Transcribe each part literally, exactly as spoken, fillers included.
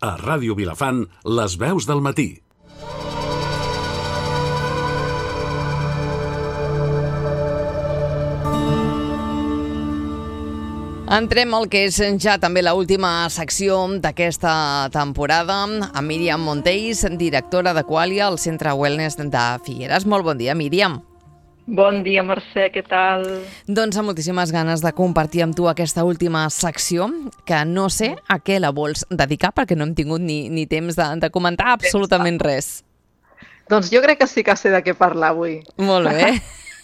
A Ràdio Vilafant, les veus del matí. Entrem al que és ja també l'última secció d'aquesta temporada amb Míriam Monteis, directora de Qualia, al Centre Wellness de Figueres. Molt bon dia, Míriam. Bon dia, Mercè, què tal? Doncs amb moltíssimes ganes de compartir amb tu aquesta última secció, que no sé a què la vols dedicar, perquè no hem tingut ni, ni temps de, de comentar absolutament res. Doncs jo crec que sí que sé de què parlar avui. Molt bé.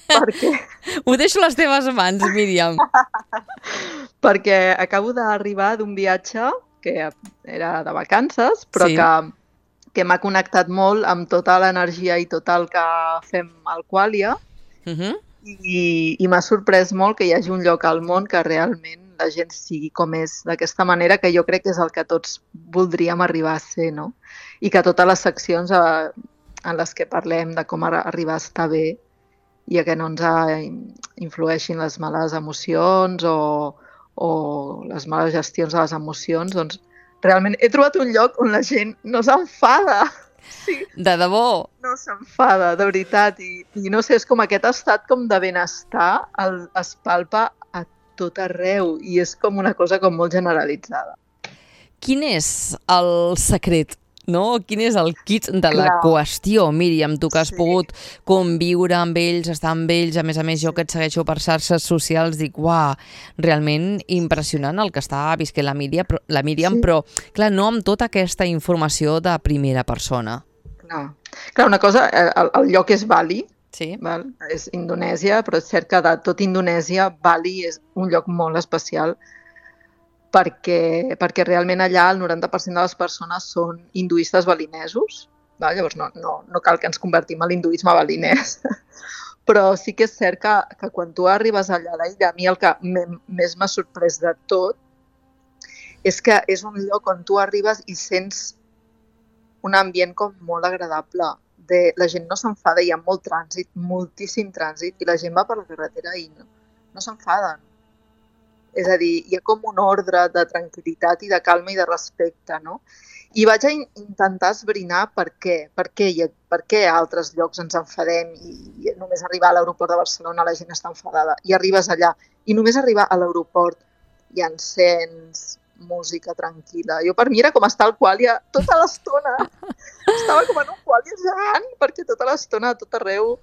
Perquè... Ho deixo a les teves mans, Míriam. Perquè acabo d'arribar d'un viatge que era de vacances, però sí. que, que m'ha connectat molt amb tota l'energia i tot el que fem al Qualia. Uh-huh. I, i m'ha sorprès molt que hi hagi un lloc al món que realment la gent sigui com és, d'aquesta manera, que jo crec que és el que tots voldríem arribar a ser, no? I que totes les seccions eh, en les que parlem de com arribar a estar bé i a que no ens influeixin les males emocions o, o les males gestions de les emocions, doncs realment he trobat un lloc on la gent no s'enfada. Sí. De debò? No s'enfada, de veritat. I, I no sé, és com aquest estat com de benestar el, es palpa a tot arreu i és com una cosa com molt generalitzada. Quin és el secret? No? Quin és el kit de la Clar. qüestió, Míriam, tu que has Sí. pogut conviure amb ells, estar amb ells, a més a més jo que et segueixo per xarxes socials, dic, uah, realment impressionant el que està visquent la Míriam, però, la Míriam, Sí. però clar, no amb tota aquesta informació de primera persona. Clar, Clar una cosa, el, el lloc és Bali, Sí. val? És Indonèsia, però és cert que de tot Indonèsia, Bali és un lloc molt especial perquè, perquè realment allà el noranta per cent de les persones són hinduistes balinesos. Val? Llavors no, no, no cal que ens convertim a l'hinduisme balinès, però sí que és cert que, que quan tu arribes allà a l'illa, a mi el que més m'ha sorprès de tot és que és un lloc on tu arribes i sents un ambient com molt agradable. De, la gent no s'enfada, hi ha molt trànsit, moltíssim trànsit, i la gent va per la carretera i no, no s'enfaden. És a dir, hi ha com un ordre de tranquil·litat i de calma i de respecte, no? I vaig a in intentar esbrinar per què, per què, i per què a altres llocs ens enfadem i, i només arribar a l'aeroport de Barcelona la gent està enfadada. I arribes allà i només arribar a l'aeroport hi ha encens, música tranquil·la. Jo per mi era com estar al Qualia tota l'estona. Estava com en un Qualia gegant perquè tota l'estona a tot arreu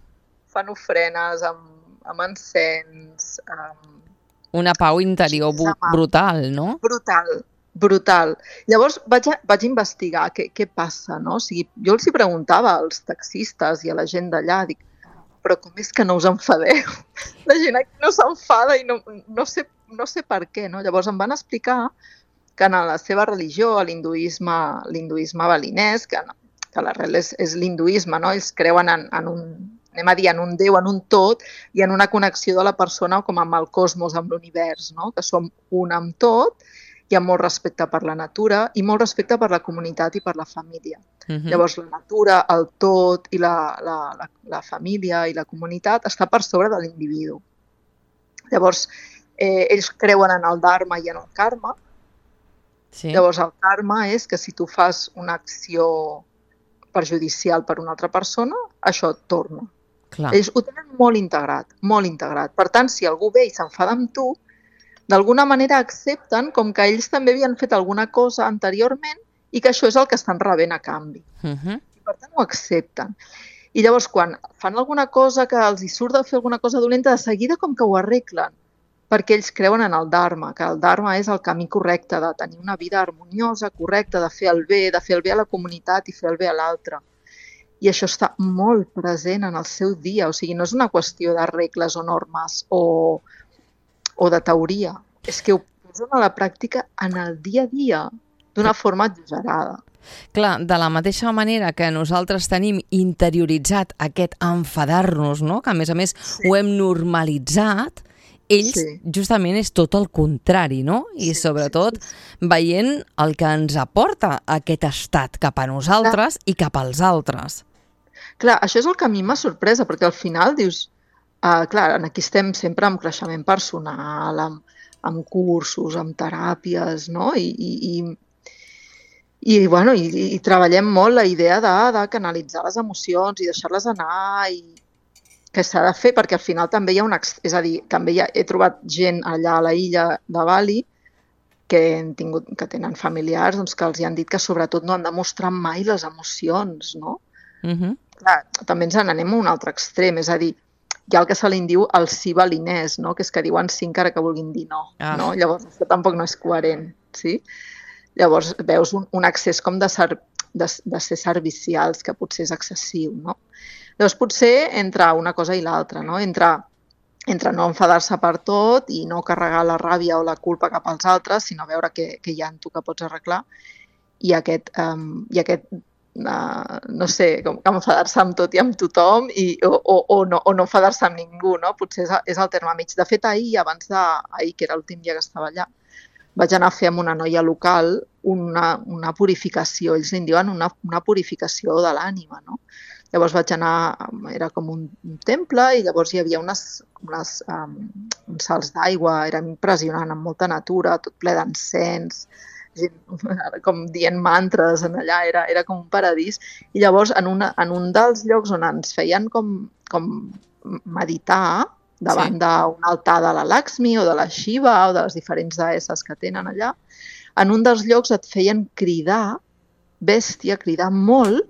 fan ofrenes amb, amb encens, amb Una pau interior brutal, no? Brutal, brutal. Llavors vaig, a, vaig investigar què, què passa, no? O sigui, jo els hi preguntava als taxistes i a la gent d'allà, dic, però com és que no us enfadeu? La gent aquí no s'enfada i no, no, sé, no sé per què, no? Llavors em van explicar que en la seva religió, l'hinduisme l'hinduisme balinès, que, no, que l'arrel és, és l'hinduisme, no? Ells creuen en, en un... anem a dir, en un Déu, en un tot, i en una connexió de la persona com amb el cosmos, amb l'univers, no? Que som un amb tot, hi ha molt respecte per la natura i molt respecte per la comunitat i per la família. Uh-huh. Llavors, la natura, el tot i la, la, la, la família i la comunitat està per sobre de l'individu. Llavors, eh, ells creuen en el dharma i en el karma. Sí. Llavors, el karma és que si tu fas una acció perjudicial per una altra persona, això et torna. Clar. Ells ho tenen molt integrat, molt integrat. Per tant, si algú ve i s'enfada amb tu, d'alguna manera accepten com que ells també havien fet alguna cosa anteriorment i que això és el que estan rebent a canvi. Uh-huh. I per tant ho accepten. I llavors quan fan alguna cosa que els hi surt de fer alguna cosa dolenta, de seguida com que ho arreglen, perquè ells creuen en el dharma, que el dharma és el camí correcte de tenir una vida harmoniosa, correcta, de fer el bé, de fer el bé a la comunitat i fer el bé a l'altre. I això està molt present en el seu dia, o sigui, no és una qüestió de regles o normes o, o de teoria, és que ho posen a la pràctica en el dia a dia d'una forma exagerada. Clar, de la mateixa manera que nosaltres tenim interioritzat aquest enfadar-nos, no? Que a més a més sí. Ho hem normalitzat, ells sí. Justament és tot el contrari, no? I sí, sobretot sí, sí. Veient el que ens aporta aquest estat cap a nosaltres Clar. I cap als altres. Clar, això és el que a mi m'ha sorpresa, perquè al final dius, uh, clar, aquí estem sempre amb creixement personal, amb, amb cursos, amb teràpies, no? I, i, I, bueno, i, i treballem molt la idea de, de canalitzar les emocions i deixar-les anar i que s'ha de fer, perquè al final també hi ha una... És a dir, també hi ha, he trobat gent allà a la illa de Bali que, han tingut, que tenen familiars doncs, que els hi han dit que sobretot no han de mostrar mai les emocions, no? Uh-huh. Clar, també ens n'anem a un altre extrem, és a dir, hi ha el que se li diu el sí balinès, no? Que és que diuen sí encara que vulguin dir no. Ah. No? Llavors, això tampoc no és coherent, sí? Llavors veus un, un accés com de, ser, de, de ser servicials, que potser és excessiu, no? Llavors potser entre una cosa i l'altra, no? Entre, entre no enfadar-se per tot i no carregar la ràbia o la culpa cap als altres, sinó veure què, què hi ha en tu que pots arreglar, i aquest, um, i aquest uh, no sé, com enfadar-se amb tot i amb tothom i, o, o, o no, o no enfadar-se amb ningú, no? Potser és, és el terme mig. De fet, ahir, abans de, ahir, que era l'últim dia que estava allà, vaig anar a fer amb una noia local una, una purificació, ells en diuen una, una purificació de l'ànima, no? Llavors vaig anar, era com un, un temple i llavors hi havia unes, unes, um, uns salts d'aigua, era impressionant, amb molta natura, tot ple d'encens, com dient mantres en allà, era, era com un paradís. I llavors en, una, en un dels llocs on ens feien com, com meditar, davant sí. d'un altar de la Lakshmi o de la Shiva o de les diferents deesses que tenen allà, en un dels llocs et feien cridar, bèstia, cridar molt,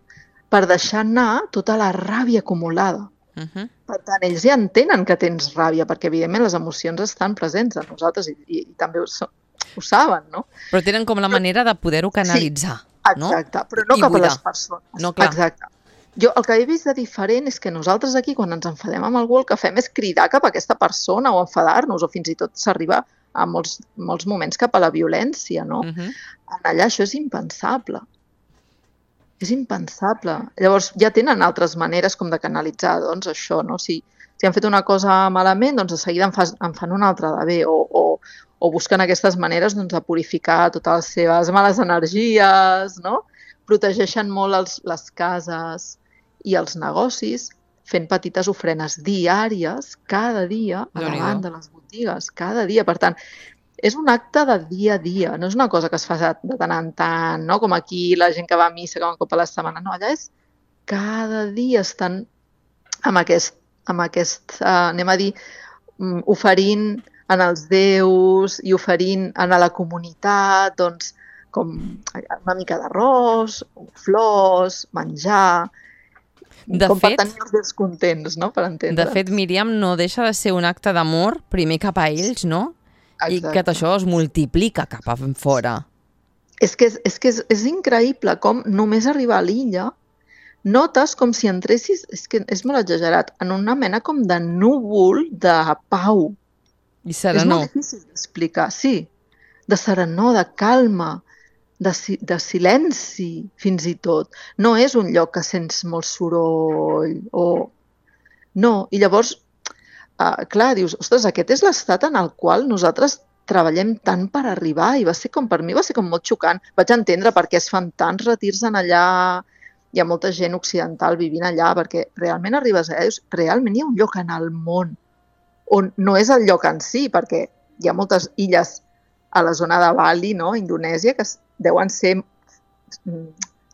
per deixar anar tota la ràbia acumulada. Uh-huh. Per tant, ells ja entenen que tens ràbia, perquè evidentment les emocions estan presents en nosaltres i, i, i també ho, ho saben, no? Però tenen com la manera de poder-ho canalitzar, sí, exacte, no? Però no I cap buidar. A les persones. No, clar. Exacte. Jo el que he vist de diferent és que nosaltres aquí, quan ens enfadem amb algú, el que fem és cridar cap a aquesta persona o enfadar-nos, o fins i tot s'arriba a molts, molts moments cap a la violència, no? Uh-huh. En allà això és impensable. És impensable. Llavors ja tenen altres maneres com de canalitzar doncs, això, no? Si, si han fet una cosa malament, doncs de seguida en, fas, en fan una altra de bé o, o, o busquen aquestes maneres doncs, de purificar totes les seves males energies, no? Protegeixen molt els, les cases i els negocis fent petites ofrenes diàries cada dia a davant de les botigues, cada dia. Per tant, és un acte de dia a dia, no és una cosa que es fa de tant en tant, no? Com aquí la gent que va a missa, que va un cop a la setmana. No, allà és cada dia estan amb aquest, amb aquest uh, anem a dir, um, oferint en els déus i oferint en la comunitat, doncs, com una mica d'arròs, flors, menjar, de com fet, per tenir els déus contents, no? Per entendre. De fet, Míriam, no deixa de ser un acte d'amor, primer cap a ells, no? Exacte. I que això es multiplica cap a fora. És que, és, és, que és, és increïble com només arribar a l'illa notes com si entressis, és que és molt exagerat, en una mena com de núvol de pau. I serenor. És molt difícil d'explicar, sí. De serenor, de calma, de, de silenci, fins i tot. No és un lloc que sents molt soroll o... No, i llavors... Uh, clar, dius, ostres, aquest és l'estat en el qual nosaltres treballem tant per arribar i va ser com, per mi va ser com molt xocant. Vaig entendre per què es fan tants retirs en allà, hi ha molta gent occidental vivint allà, perquè realment arribes allà i dius, realment hi ha un lloc en el món on no és el lloc en si, perquè hi ha moltes illes a la zona de Bali, no? Indonèsia, que deuen ser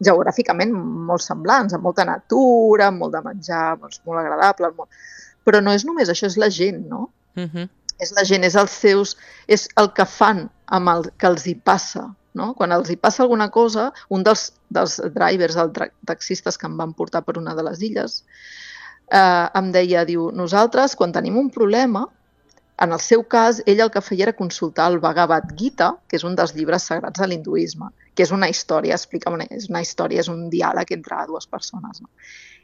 geogràficament molt semblants, amb molta natura, amb molt de menjar, doncs, molt agradable, molt... Però no és només això, és la gent, no? Uh-huh. És la gent, és els seus, és el que fan amb el que els hi passa, no? Quan els hi passa alguna cosa, un dels, dels drivers, dels taxistes que em van portar per una de les illes, eh, em deia, diu, nosaltres, quan tenim un problema, en el seu cas, ell el que feia era consultar el Bhagavad Gita, que és un dels llibres sagrats de l'hinduisme, que és una història, explica una, és una història, és un diàleg entre dues persones, no?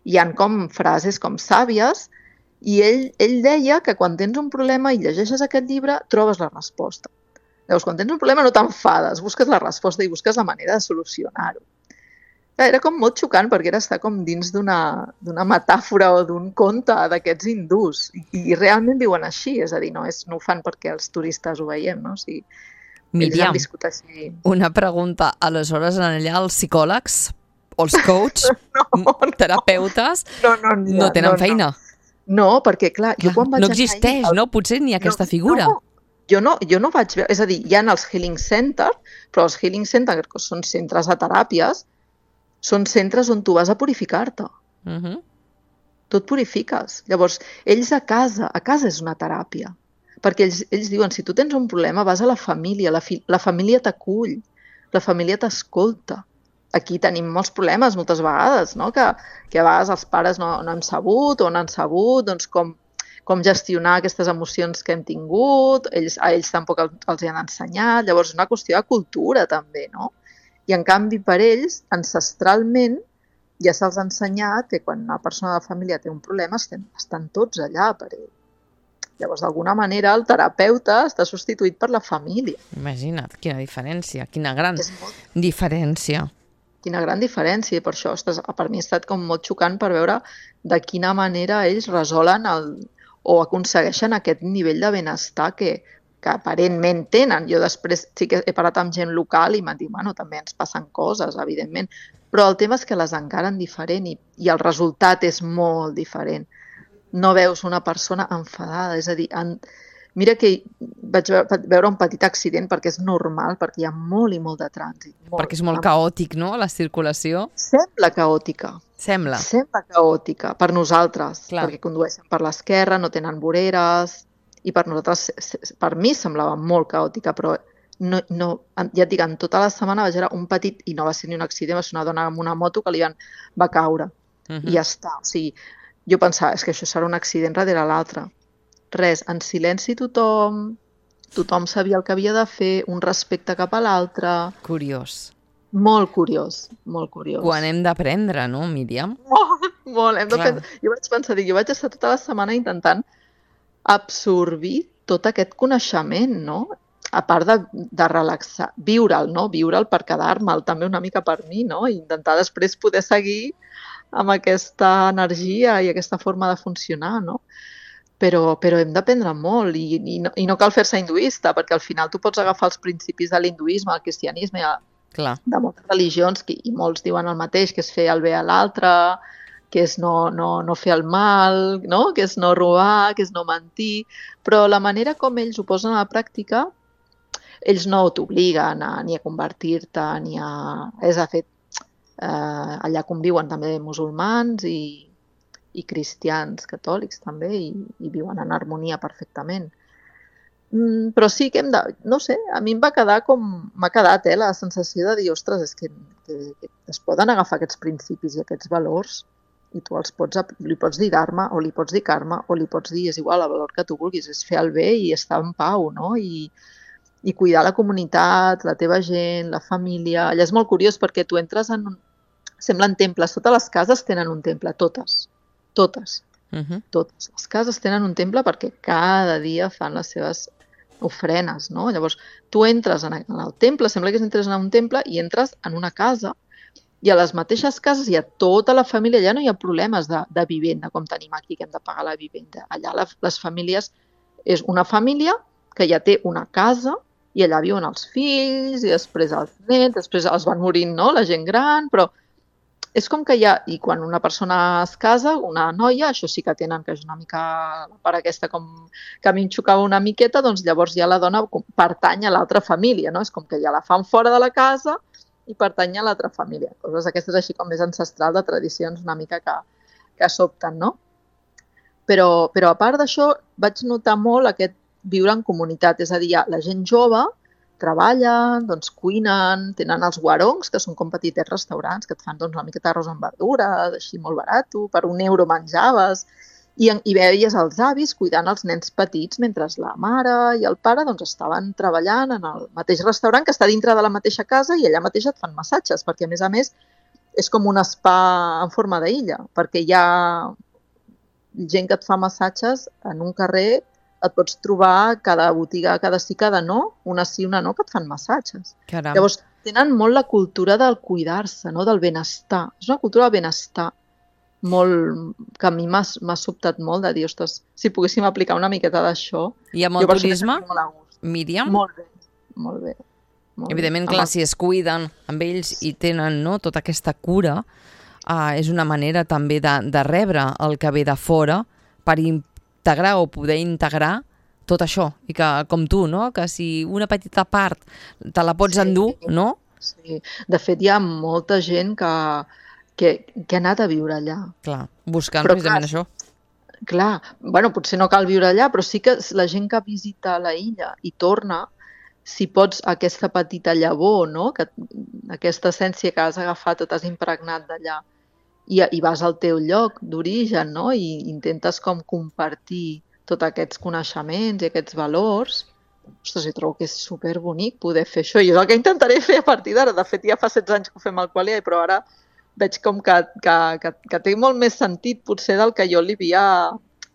Hi ha com frases com sàvies. I ell, ell deia que quan tens un problema i llegeixes aquest llibre, trobes la resposta. Llavors, quan tens un problema no t'enfades, busques la resposta i busques la manera de solucionar-ho. Era com molt xocant perquè era estar com dins d'una d'una metàfora o d'un conte d'aquests hindús. I, I realment viuen així, és a dir, no, és, no ho fan perquè els turistes ho veiem, no? O sigui, ells han viscut així. Una pregunta. Aleshores, allà els psicòlegs o els coach, no, no. terapeutes, no, no, no, no tenen no, feina? No. No, perquè, clar, jo quan vaig no existeix, anar... no? Potser ni aquesta no, figura. No, jo no, jo no vaig veure... És a dir, hi ha els Healing Center, però els Healing Center, que són centres de teràpies, són centres on tu vas a purificar-te. Uh-huh. Tu et purifiques. Llavors, ells a casa, a casa és una teràpia. Perquè ells, ells diuen, si tu tens un problema, vas a la família, la, fi, la família t'acull, la família t'escolta. Aquí tenim molts problemes moltes vegades, no? que, que a vegades els pares no, no hem sabut o no han sabut doncs, com, com gestionar aquestes emocions que hem tingut, ells, a ells tampoc els, els hi han ensenyat, llavors és una qüestió de cultura també, no? I en canvi per ells, ancestralment, ja se'ls ha ensenyat que quan una persona de la família té un problema estem, estan tots allà per ell. Llavors, d'alguna manera, el terapeuta està substituït per la família. Imagina't, quina diferència, quina gran molt... diferència. Quina gran diferència, i per això estàs, per mi ha estat com molt xocant per veure de quina manera ells resolen el, o aconsegueixen aquest nivell de benestar que, que aparentment tenen. Jo després sí que he parlat amb gent local i m'han dit, bueno, també ens passen coses, evidentment, però el tema és que les encaren diferent i, i el resultat és molt diferent. No veus una persona enfadada, és a dir, en, mira que vaig veure un petit accident perquè és normal, perquè hi ha molt i molt de trànsit. Molt, perquè és molt caòtic, no?, la circulació. Sembla caòtica. Sembla. Sembla caòtica per nosaltres, Clar. perquè condueixen per l'esquerra, no tenen voreres, i per nosaltres, per mi semblava molt caòtica, però no, no, ja et dic, en tota la setmana vaig veure un petit, i no va ser ni un accident, va ser una dona amb una moto que li van, va caure, uh-huh. i ja està. O sigui, jo pensava, és que això serà un accident darrere l'altre. Res, en silenci tothom, tothom sabia el que havia de fer, un respecte cap a l'altre. Curiós. Molt curiós, molt curiós. Quan hem d'aprendre, no, Míriam? Molt, molt. Hem de pensar... Jo vaig pensar, dic, jo vaig estar tota la setmana intentant absorbir tot aquest coneixement, no? A part de, de relaxar, viure'l, no? Viure'l per quedar-me'l també una mica per mi, no? I intentar després poder seguir amb aquesta energia i aquesta forma de funcionar, no? Però, però hem d'aprendre molt i, i, no, i no cal fer-se hinduista, perquè al final tu pots agafar els principis de l'hinduisme, el cristianisme, Clar. de moltes religions, que, i molts diuen el mateix, que és fer el bé a l'altre, que és no, no, no fer el mal, no? Que és no robar, que és no mentir, però la manera com ells ho posen a la pràctica, ells no t'obliguen a, ni a convertir-te, ni a... És a fer, eh, allà conviuen també musulmans i, i cristians catòlics també, i, i viuen en harmonia perfectament. Mm, però sí que hem de... No sé, a mi em va quedar com... M'ha quedat, eh, la sensació de dir, ostres, és que, que, que es poden agafar aquests principis i aquests valors i tu els pots, li pots dir Dharma o li pots dir Karma o li pots dir, és igual, el valor que tu vulguis, és fer el bé i estar en pau, no? I, i cuidar la comunitat, la teva gent, la família. Allà és molt curiós perquè tu entres en... Un... Semblen temples, totes les cases tenen un temple, totes, totes, uh-huh. totes. Les cases tenen un temple perquè cada dia fan les seves ofrenes, no? Llavors, tu entres en el temple, sembla que entres en un temple i entres en una casa i a les mateixes cases hi ha tota la família, allà no hi ha problemes de, de vivenda, com tenim aquí, que hem de pagar la vivenda. Allà la, les famílies, és una família que ja té una casa i allà viuen els fills i després els nets, després els van morint, no?, la gent gran, però és com que hi ha, i quan una persona es casa, una noia, això sí que tenen, que és una mica la part aquesta com que a mi em xocava una miqueta, doncs llavors ja la dona pertany a l'altra família, no? És com que ja la fan fora de la casa i pertany a l'altra família. Coses aquestes així com més ancestral de tradicions una mica que, que sobten, no? Però, però a part d'això vaig notar molt aquest viure en comunitat, és a dir, la gent jove treballen, doncs cuinen, tenen els guarongs, que són com petitets restaurants, que et fan doncs, una miqueta d'arròs amb verdures, així molt barat, per un euro menjaves, i, i veies els avis cuidant els nens petits mentre la mare i el pare doncs, estaven treballant en el mateix restaurant que està dintre de la mateixa casa i allà mateix et fan massatges, perquè a més a més és com un spa en forma d'illa, perquè hi ha gent que et fa massatges en un carrer, et pots trobar cada botiga, cada sí, cada no, una sí, una no, que et fan massatges. Caram. Llavors, tenen molt la cultura del cuidar-se, no? Del benestar. És una cultura del benestar molt, que a mi m'ha sobtat molt de dir, ostres, si poguéssim aplicar una miqueta d'això... I amb el turisme, Míriam? Molt bé, molt bé. Molt Evidentment, bé. clar, si es cuiden amb ells i tenen, no, tota aquesta cura, uh, és una manera també de, de rebre el que ve de fora per integrar o poder integrar tot això, i que, com tu, no? Que si una petita part te la pots sí. endur, no? Sí, de fet hi ha molta gent que, que, que ha anat a viure allà. Clar, buscant però, precisament clar, això. Clar, bueno, potser no cal viure allà, però sí que la gent que visita la illa i torna, si pots aquesta petita llavor, no? Que, aquesta essència que has agafat o t'has impregnat d'allà, i, i vas al teu lloc d'origen, no? I intentes com compartir tots aquests coneixements i aquests valors. Ostres, jo trobo que és superbonic poder fer això. I és el que intentaré fer a partir d'ara. De fet, ja fa setze anys que ho fem al Qualia, però ara veig com que, que, que, que té molt més sentit potser del que jo li havia,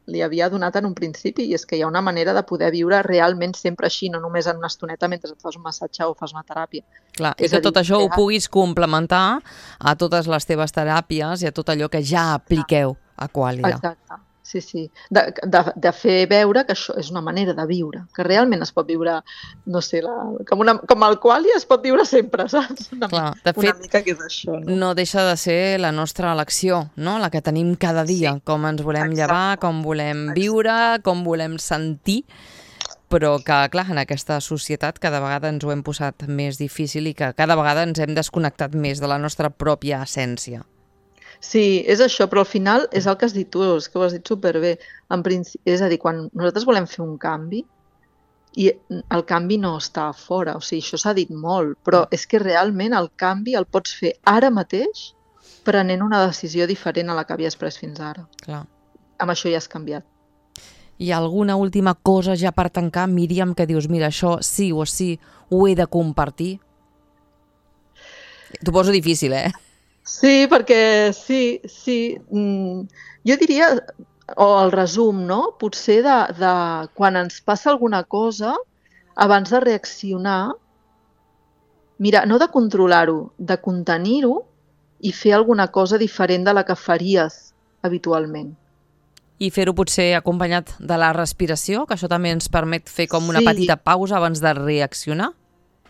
li havia donat en un principi, i és que hi ha una manera de poder viure realment sempre així, no només en una estoneta mentre et fas un massatge o fas una teràpia. Clar, i que tot això ho puguis complementar a totes les teves teràpies i a tot allò que ja apliqueu a Qualia. Exacte. Sí, sí. De, de, de fer veure que això és una manera de viure, que realment es pot viure, no sé, la, com, una, com el Qualia es pot viure sempre, saps? Una, Clar, de una fet, mica que és això. No? no deixa de ser la nostra elecció, no? La que tenim cada dia, sí. Com ens volem Exacte. Llevar, com volem Exacte. Viure, com volem sentir, però que, clar, en aquesta societat cada vegada ens ho hem posat més difícil i que cada vegada ens hem desconnectat més de la nostra pròpia essència. Sí, és això, però al final és el que has dit tu, és que ho has dit superbé. En principi, és a dir, quan nosaltres volem fer un canvi, i el canvi no està a fora, o sigui, això s'ha dit molt, però és que realment el canvi el pots fer ara mateix prenent una decisió diferent a la que havies pres fins ara. Clar. Amb això ja has canviat. Hi ha alguna última cosa ja per tancar, Míriam, que dius, mira, això sí o sí ho he de compartir? T'ho poso difícil, eh? Sí, perquè sí, sí. Mm, jo diria, o el resum, no? Potser de, de quan ens passa alguna cosa, abans de reaccionar, mira, no de controlar-ho, de contenir-ho i fer alguna cosa diferent de la que faries habitualment. I fer-ho potser acompanyat de la respiració, que això també ens permet fer com una sí. petita pausa abans de reaccionar?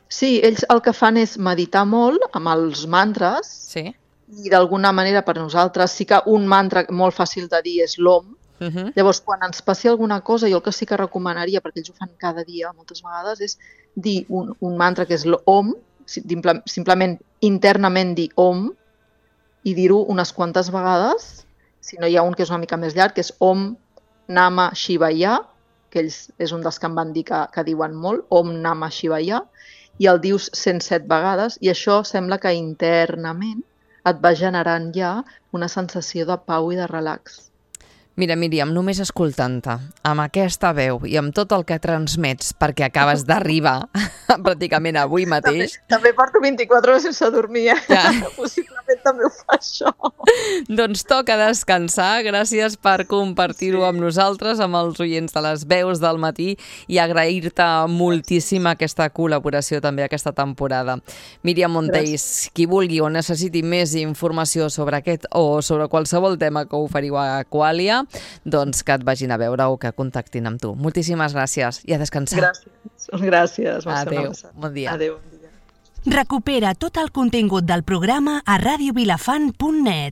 Sí, ells el que fan és meditar molt amb els mantres. Sí. I d'alguna manera per nosaltres sí que un mantra molt fàcil de dir és l'Om. Uh -huh. Llavors, quan ens passi alguna cosa, jo el que sí que recomanaria, perquè ells ho fan cada dia moltes vegades, és dir un, un mantra que és l'Om, simplement internament dir Om, i dir-ho unes quantes vegades. Si no hi ha un que és una mica més llarg, que és Om Nama Shivaya, que ells és un dels que em van dir que, que diuen molt, Om Nama Shivaya, i el dius cent set vegades, i això sembla que internament et va generant ja una sensació de pau i de relax. Mira, Míriam, només escoltant-te, amb aquesta veu i amb tot el que transmets, perquè acabes d'arribar pràcticament avui mateix... També, també porto vint-i-quatre hores sense dormir, eh? Ja. Possiblement també ho fa això. Doncs toca descansar. Gràcies per compartir-ho sí. amb nosaltres, amb els oients de les veus del matí, i agrair-te moltíssim aquesta col·laboració també aquesta temporada. Míriam Monteis, Gràcies. Qui vulgui o necessiti més informació sobre aquest o sobre qualsevol tema que oferiu a Qualia, doncs que et vagin a veure o que contactin amb tu. Moltíssimes gràcies i a descansar. Gràcies. Gràcies. Adéu. Bon dia. Adéu. Bon dia. Recupera tot el contingut del programa a radio vilafant punt net.